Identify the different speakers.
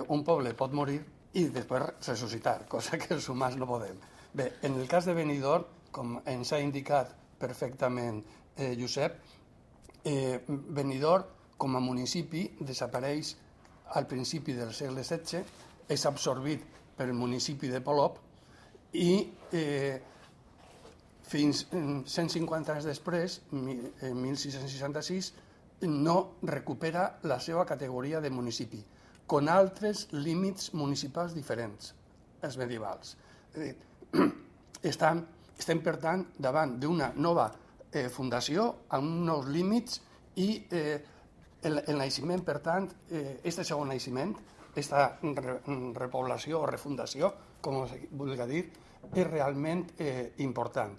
Speaker 1: un poble pot morir i després ressuscitar, cosa que els humans no podem. Bé, en el cas de Benidorm, com ens ha indicat perfectament Josep, Benidorm com a municipi desapareix al principi del segle XVI, és absorbit pel municipi de Polop i fins 150 anys després, en 1666, no recupera la seva categoria de municipi, con altres límits municipals diferents, els medievals. Estem, per tant, davant d'una nova fundació amb nous límits i el naixement, per tant, aquest segon naixement, aquesta repoblació o refundació, com es vulgui dir, és realment important.